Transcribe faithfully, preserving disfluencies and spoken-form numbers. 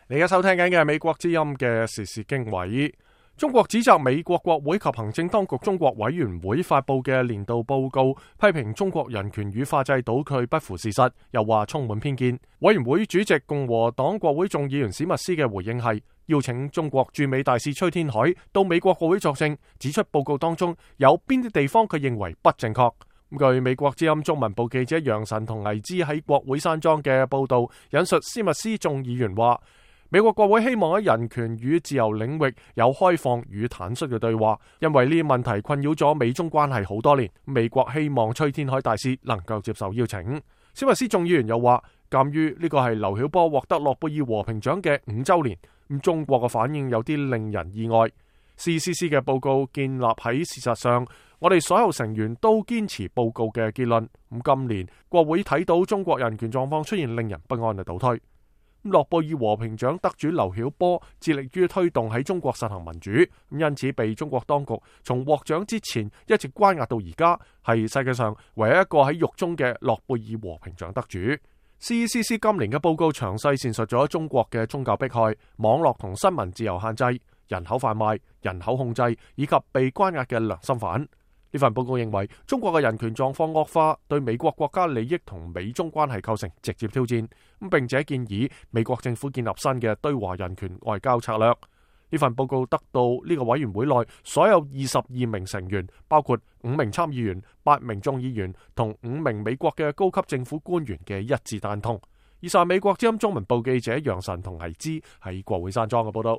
你而家收聽緊嘅係美國之音嘅時事經緯。中國指責美國國會及行政當局中國委員會發佈嘅年度報告，批評中國人權與法制倒退不符事實，又話充滿偏見。委員會主席共和黨國會眾議員史密斯嘅回應係邀請中國駐美大使崔天凱到美國國會作證，指出報告當中有邊啲地方佢認為不正確。據美國之音中文部記者楊晨同倪之喺國會山莊嘅報道引述史密斯眾議員話，美國國會希望喺人權與自由領域有開放與坦率嘅對話，因為呢啲問題困擾咗美中關係好多年。美國希望崔天凱大使能夠接受邀請。史密斯眾議員又話，鑒於呢個係劉曉波獲得諾貝爾和平獎嘅五週年，咁中國嘅反應有啲令人意外。C C C 嘅報告建立喺事實上，我哋所有成員都堅持報告嘅結論。咁今年國會睇到中國人權狀況出現令人不安嘅倒退。諾貝爾和平獎得主劉曉波致力於推動喺中國實行民主，因此被中國當局從獲獎之前一直關押到而家，係世界上唯一一個喺獄中嘅諾貝爾和平獎得主。C C C 今年嘅報告詳細闡述咗中國嘅宗教迫害、網絡同新聞自由限制、人口販賣、人口控制以及被關押嘅良心犯。呢份報告認為，中國嘅人權狀況惡化，對美國國家利益同美中關係構成直接挑戰，咁並且建議美國政府建立新嘅對華人權外交策略。呢份報告得到呢個委員會內所有二十二名成員，包括五名參議員、八名眾議員同五名美國嘅高級政府官員嘅一致贊同。以上美國之音中文部記者楊晨同倪之喺國會山莊嘅報道。